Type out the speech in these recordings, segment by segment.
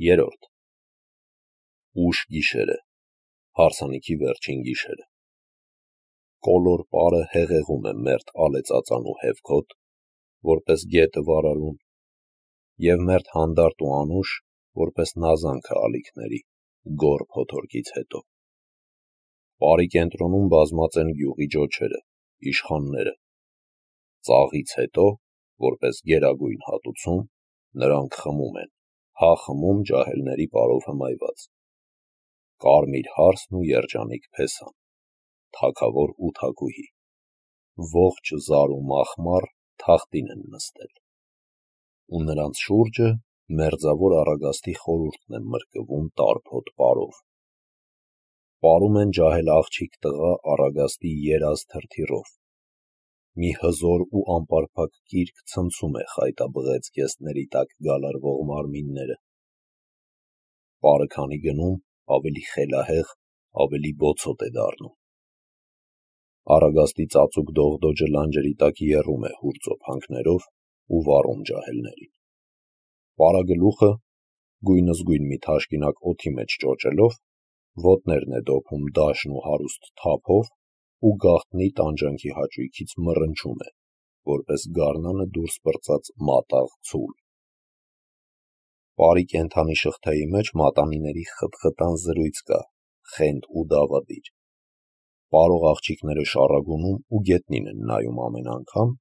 Երրորդ Ուշ գիշերը, հարսանիքի վերջին գիշերը։ Կոլոր պարը հեղեղում է մերթ ալեցածանու հևքոտ, որպես գետը վարարուն, և մերթ հանդարտ ու անուշ, որպես նազանքը ալիքների, գոր փոթորկից հետո։ Պարի կենտրոնում բազմած են գյուղի ջոչերը, իշխանները։ Ծաղից հետո, որպես գերագույն հատուցում, նրանք խմում են, խմում ջահելների պարով հմայված։ Կարմիր հարսն ու երջանիկ փեսան, թագավոր ու թագուհի, ողջ զար ու մախմար թախտին են նստել, ու նրանց շուրջը մերձավոր առագաստի խորհուրդն է մրկվում տարփոտ պարով։ Պարում են ջահել աղջիկ տղա առագաստի երազ թրթիռով, մի հզոր ու անպարփակ կիրք ցնցում է խայտաբղեց կեսների տակ գալարվող մարմինները։ Պարը քանի գնում, ավելի խելահեղ, ավելի բոցոտ է դառնում։ Առագաստի ծածուկ դողդոջը լանջերի տակ եռում է հուրձոփանքներով ու վառում ջահելներին։ Պարագլուխը, գույնզգույն մի թաշկինակ օդի մեջ ճոճելով, ոտներն է դոփում դաշն ու հարուստ թափով ու գաղտնի տանջանքի հաճույքից մռնչում է, որպես գարնանը դուրս պրծած մատաղ ցուլ։ Պարի կենդանի շղթայի մեջ մատանիների խտխտան զրույց կա, խենթ ու դավադիր։ Պարող աղջիկները շառագունում ու գետնին են նայում ամեն անգամ,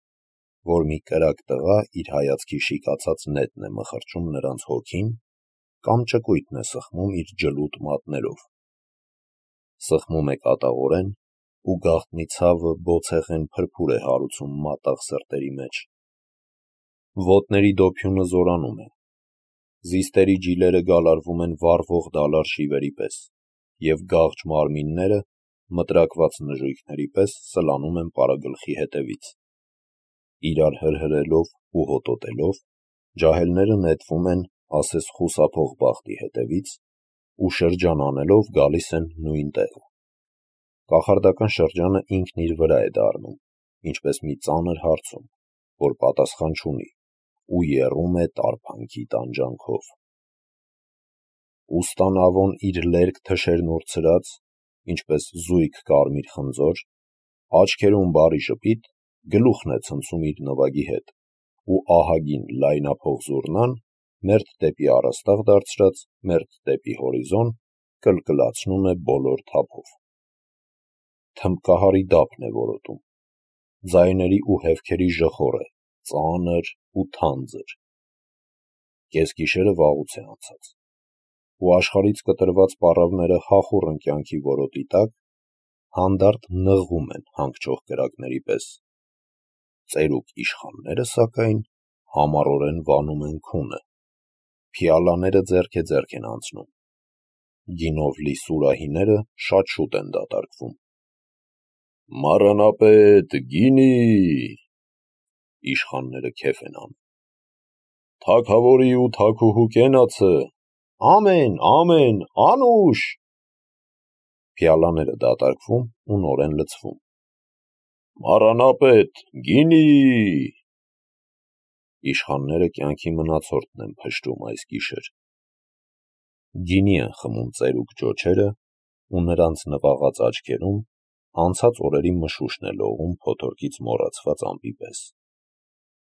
որ մի կրակ տղա իր հայացքի շիկացած նետն է մխրճում նրանց հոգին, կամ ճկույթն է սխմում իր ջլուտ մատներով։ Սխմում է կատաղորեն, ու գաղտնի ցավը բոցեղեն փրփուր է հարուցում մատաղ սրտերի մեջ։ Ոտների դոփյունը զորանում է։ Զիստերի ջիլերը գալարվում են վառվող դալար շիվերի պես, և գաղջ մարմինները, մտրակված նժույգների պես, սլանում են պարագլխի հետևից։ Իրար հրհրելով ու հոտոտելով, ջահելները նետվում են, ասես խուսափող բախտի հետևից, ու շրջան անելով գալիս են նույն տեղը։ Կախարդական շրջանը ինքն իր վրա է դառնում, ինչպես մի ծանր հարցում, որ պատասխան չունի, ու եռում է տարփանքի տանջանքով։ Ուստանավոն իր լերկ թշերն ուրցրած, ինչպես զույգ կարմիր խնձոր, աչքերում բարի ժպիտ, գլուխն է ցնցում իր նվագի հետ, ու ահագին լայնափող զուռնան, մերթ դեպի առաստաղ դարձրած, մերթ դեպի հորիզոն, կլկլացնում է բոլոր թափով։ Թմբկահարի դափն է որոտում, ձայների ու հևքերի ժխորը, ծանր ու թանձր։ Կեսգիշերը վաղուց է անցած, ու աշխարհից կտրված պառավները հախուռն կյանքի որոտի տակ հանդարտ նղվում են հանգչող կրակների պես։ Ծերուկ իշխանները, սակայն, համառորեն վանում են քունը, փիալաները ձեռք է ձեռք են անցնում։ Գինով լի սուրահիները շատ շուտ են դատարկվում։ «Մառանապետ, գինի!» Իշխանները քեֆ են անում։ «Թագավորի ու թագուհու կենացը, ամեն, ամեն, անուշ!» Փիալաները դատարկվում ու նորեն լցվում։ «Մառանապետ, գինի!» Իշխանները կյանքի մնացորդն են փշրում այս գիշեր։ Գինի են խմում ծերուկ ջոչերը, ու նրանց նվաղած աչքերում անցած օրերի մշուշն է լողում փոթորկից մոռացված ամպի պես։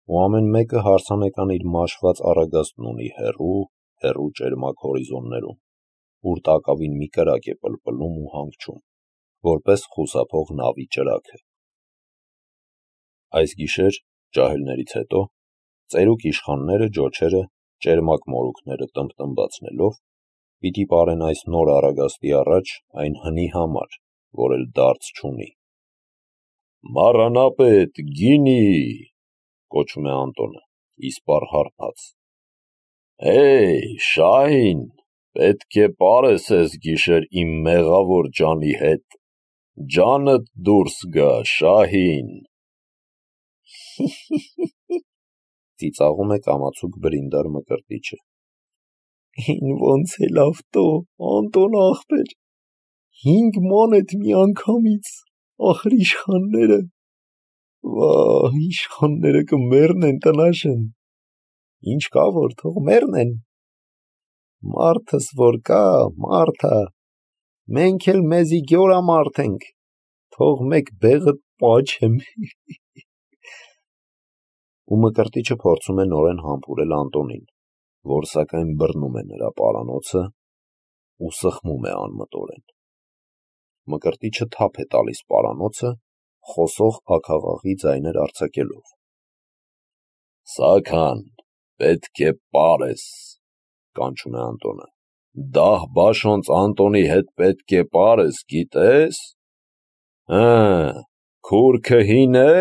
Ու ամեն մեկը հարսանեկան իր մաշված առագաստն ունի հեռու ճերմակ հորիզոններում, ուր տակավին մի կրակ է պլպլում ու հանգչում, որպես խուսափող նավի ճրագը։ Այս գիշեր, ջահելներից հետո, ծերուկ իշխանները ջոչերը, ճերմակ մորուքները տմբտմբացնելով, պիտի պարեն այս նոր առագաստի առաջ այն հնի համար, որ էլ դարձ չունի։ «Մառանապետ, գինի!» կոչում է Անտոնը, իսպառ հարբած։ «Հեյ, Շահին, պետք է պարես էս գիշեր իմ մեղավոր ջանի հետ, ջանդ դուրս գա, Շահին»։ Ծիծաղում է կամացուկ բրինդար մկրտիչը։ «Ին ոնց է լավ տո, Անտոն ախպեր, 5 մանեթ մի անգամից, ախր իշխանները, վահ, իշխանները կմեռնեն տնաշեն, ինչ կա որ թող մեռնեն, մարդս որ կա, մարդա, մենք էլ մեզի գյորամարդ ենք, թող մեկ բեղդ պաչեմ։ Ու Մկրտիչը փորձում է նորեն համբուրել Անտոնին, որ սակայն բռնում է նրա պարանոցը ու սխմում է անմտորեն։ Մկրտիչը թափ է տալիս պարանոցը, խոսող աքաղաղի ձայներ արձակելով. Սաքան, պետք է պարես, կանչում է Անտոնը, դահ բաշոնց Անտոնի հետ պետք է պարես, գիտես, քուրքը հին է,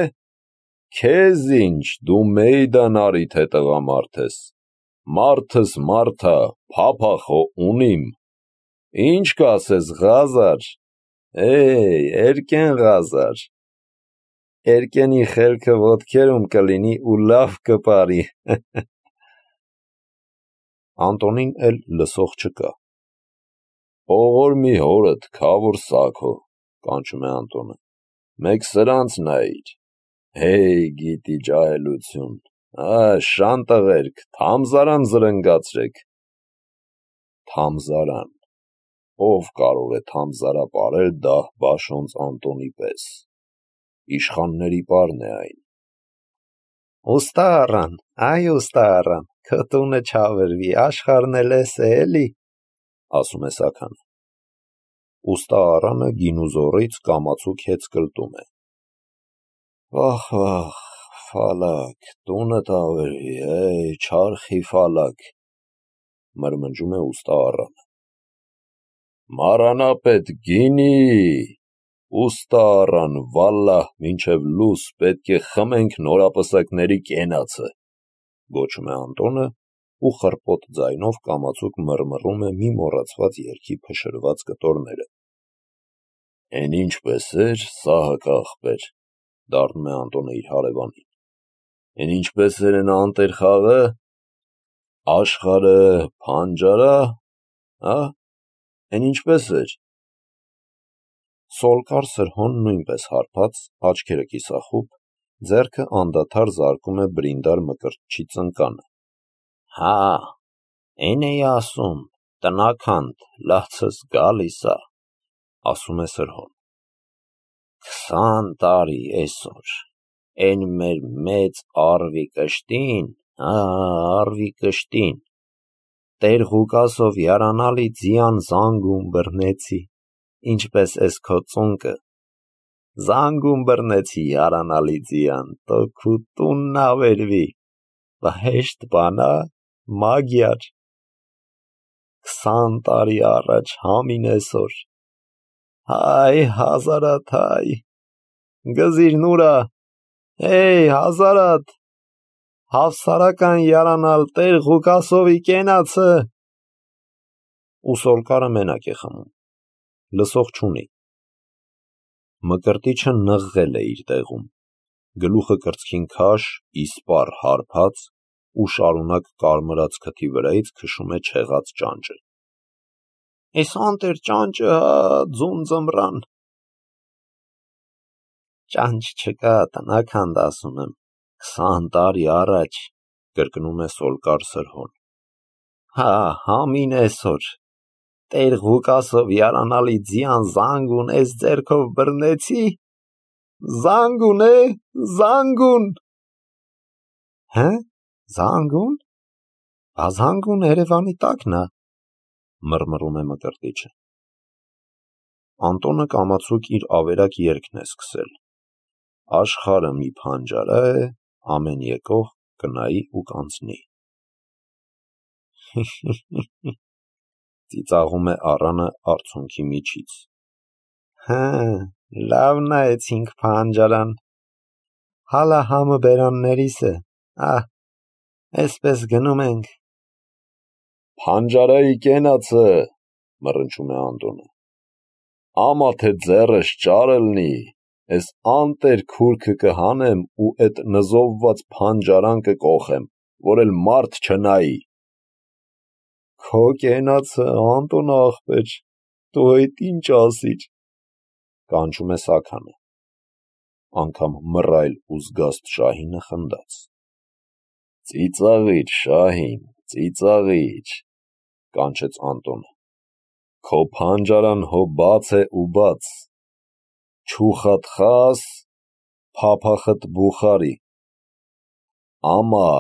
քեզ ինչ, դու մեյդան արի թե տղամարդ ես, մարդս մարդա, փափախո ունիմ, ինչ կասես Ղազար, երկեն Ղազար, երկենի խելքը ոտքերում կլինի ու լավ կպարի։ Անտոնին էլ լսող չկա։ Ողոր մի հորդ, քավոր սաքո, կանչում է Անտոնը, մեկ սրանց նայիր, գիտի ջահելություն, շան տղերք, թամզարան զրնգացրեք։ Թամզարան, ով կարող է թամզարապարել դահ բաշոնց Անտոնի պես, իշխանների պարն է այն։ Ուստա առան, ուստա առան, քո տունը չավերվի, աշխարհն էլ էս է էլի, ասում է Սաքանը։ Ուստա առանը գինուզորից կամացուկ հետ կլտում է։ Վախ, ֆալակ, տունդ ավերվի, չարխի ֆալակ, մրմնջում է ուստա առանը։ Մարանապետ գինի, ուստա առան, վալլահ, մինչև լուս պետք է խմենք նորապսակների կենացը, գոչում է Անտոնը ու խռպոտ ձայնով կամացուկ մռմռում է մի մոռացված երգի փշրված կտորները։ Էն ինչպես էր, Սահակա աղբեր, դառնում է Անտոնը իր հարևանին։ Էն ինչպես էր են անտեր խաղը, աշխարհը փանջարա, Էն ինչպես էր։ Սոլկար Սրհոն նույնպես հարբած, աչքերը կիսախուբ, ձեռքը անդադար զարկում է բրինդար Մկրտչի ծնկանը։ Էն էի ասում, տնականդ, լացս գալիս ա, ասում է Սրհոն։ 20 տարի էսօր, էն մեր մեծ արվի կշտին, Տեր Ղուկասով յարանալի ձյան զանգում բռնեցի, ինչպես էս քո ծունկը, զանգում բռնեցի յարանալի ձյան, տո քու տունն ավերվի, հեշտ բան ա, մագյար, 20 տարի առաջ համին էսօր, հազարաթ, գզիր նուրա, հազարաթ, հավսարական յարանալ Տեր Ղուկասովի կենացը։ Ու Սոլկարը մենակ է խմում, լսող չունի։ Մկրտիչը նղղել է իր տեղում, գլուխը կրծքին քաշ, իսպառ հարբած ու շարունակ կարմրած քթի վրայից քշում է չեղած ճանճը։ Էս անտեր ճանճը, ձուն ձմռան։ Ճանճ չկա, տնականդ ասում եմ, 20 տարի առաջ, կրկնում է Սոլկար Սրհոն։ Համին էսօր, Տեր Ղուկասով յարանալի ձյան զանգուն էս ձեռքով բռնեցի, զանգուն զանգուն։ Զանգուն։ Զանգուն Երևանի տակն ա, մռմռում է Մկրտիչը։ Անտոնը կամացուկ իր ավերակ երգն է սկսել։ Աշխարհը մի փանջարա է, ամեն եկող կնայի ու կանցնի։ Ծիծաղում է առանը արցունքի միջից։ Լավ նայեցինք փանջարան, հալա համը բերաններիս է, էսպես գնում ենք։ Փանջարայի կենացը, մռնչում է Անտոնը, ամա թե ձեռս ճարելնի, էս անտեր քուրքը կհանեմ ու էդ նզովված փանջարան կկոխեմ, որ էլ մարդ չնայի։ Քո կենացը, Անտոն աղբեր, դու այդ ինչ ասիր, կանչում է Սաքանը, անգամ մռայլ ու զգաստ Շահինը խնդաց։ Ծիծաղիր, Շահին, ծիծաղիր, կանչեց Անտոնը։ Քո փանջարան հո բաց է ու բաց։ Չուխատ խաս, փափախտ բուխարի։ Ամա,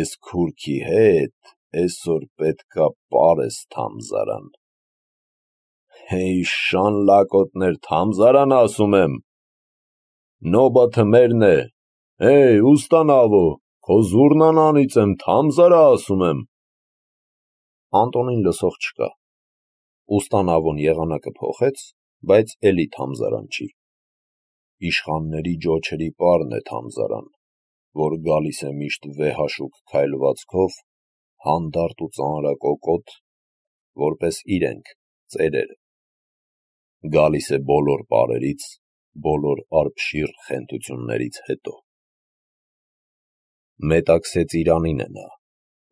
էս քուրքի հետ էսօր պետքա պարես թամզարան։ Հեյ շան լակոտներ, թամզարան ասում եմ։ Նոբաթը մերն է։ Հեյ, ուստանավո, քո զուրնան անիծեմ, թամզարա ասում եմ։ Անտոնին լսող չկա։ Ուստանավոն եղանակը փոխեց, բայց էլի թամզարան չի։ Իշխանների ջոչերի պարն է թամզարան, որ գալիս է միշտ վեհաշուկ քայլվածքով, հանդարտ ու ծանրակոկոտ, որպես իրենք, ծերերը։ Գալիս է բոլոր պարերից, բոլոր արբշիր խենթություններից հետո։ Մետաքսե ծիրանին է նա,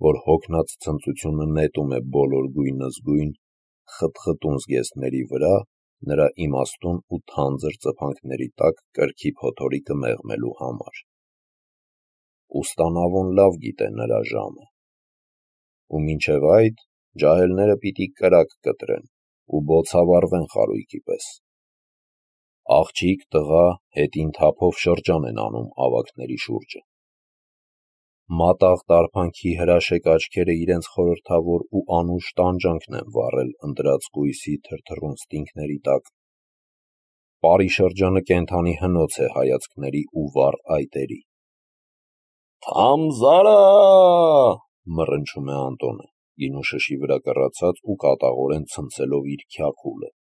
որ հոգնած ցնծությունը նետում է բոլոր գույնզգույն, խտխտուն զգեստների վրա, նրա իմաստուն ու թանձր ծփանքների տակ կրքի փոթորիկը մեղմելու համար։ Ուստանավոն լավ գիտե նրա ժամը։ Ու մինչև այդ ջահելները պիտի կրակ կտրեն ու բոցավառվեն խարույկի պես։ Աղջիկ, տղա, հետին թափով շրջան են անում ավագների շուրջը։ Մատաղ տարփանքի հրաշեկ աչքերը իրենց խորհրդավոր ու անուշ տանջանքն են վառել ընտրած կույսի թրթռուն ստինգների տակ։ Պարի շրջանը կենդանի հնոց է հայացքների ու վառ այտերի։ Թամզարա, մռնչում է Անտոնը, գինու շշի վրա կռացած ու կատաղորեն ցնցելով իր քյաքուլը։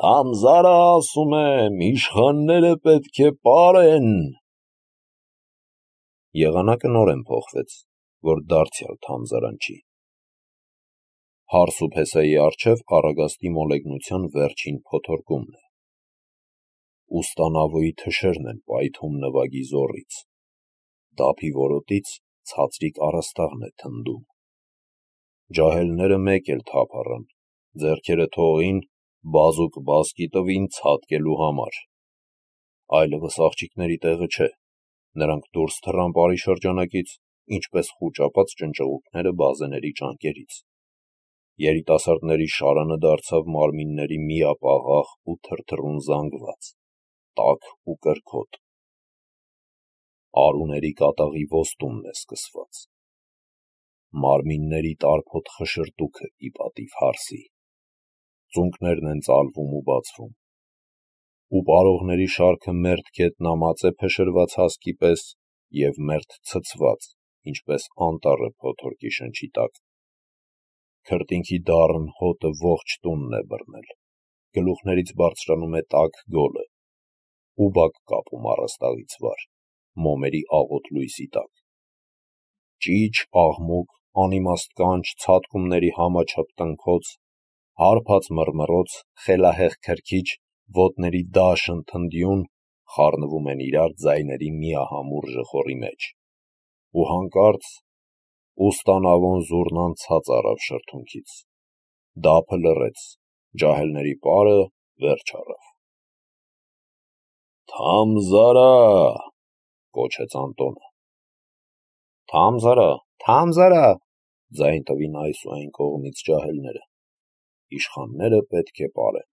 Թամզարա ասում եմ, իշխանները պետք է պարեն։ Եղանակը նորեն փոխվեց, որ դարձյալ թամզարան չի։ Հարս ու փեսայի առջև առագաստի մոլեգնության վերջին փոթորկումն է։ Ուստանավոյի թշերն են պայթում նվագի զոռից։ Դափի որոտից ցածրիկ առաստաղն է թնդում։ Ջահելները մեկ էլ թափ առան, ձեռքերը թողին, բազուկ բազկի տվին ցատկելու համար։ Այլևս աղջիկների տեղը չէ։ Նրանք դուրս թռան պարի շրջանակից, ինչպես խուճապած ճնճղուկները բազեների ճանկերից։ Երիտասարդների շարանը դարձավ մարմինների միապաղաղ ու թրթռուն զանգված, տաք ու կրքոտ։ Արուների կատաղի ոստումն է սկսված։ Մարմինների տարփոտ խշրտուքը ի պատիվ հարսի։ Ծունկներն են ծալվում ու բացվում։ Ու պարողների շարքը մերթ գետնամած է փշրված հասկի պես և մերթ ցցված, ինչպես անտառը փոթորկի շնչի տակ։ Քրտինքի դառն հոտը ողջ տունն է բռնել, գլուխներից բարձրանում է տաք գոլը, ուբակ կապում առաստաղից վար, մոմերի աղոտ լույսի տակ։ Ճիչ, աղմուկ, անիմաստ կանչ, ցատկումների համաչափ տնքոց, հարբած մռմռոց, խելահեղ քրքիջ, ոտների դաշն թնդյուն խառնվում են իրար ձայների միահամուռ ժխորի մեջ։ Ու հանկարծ ուստանավոն զուռնան ցած առավ շրթունքից։ Դափը լռեց, ջահելների պարը վերջ առավ։ Թամզարա, կոչեց Անտոնը։ Թամզարա, թամզարա, ձայն տվին այս ու այն կողմից ջահելները։ Իշխանները պետք է պարեն։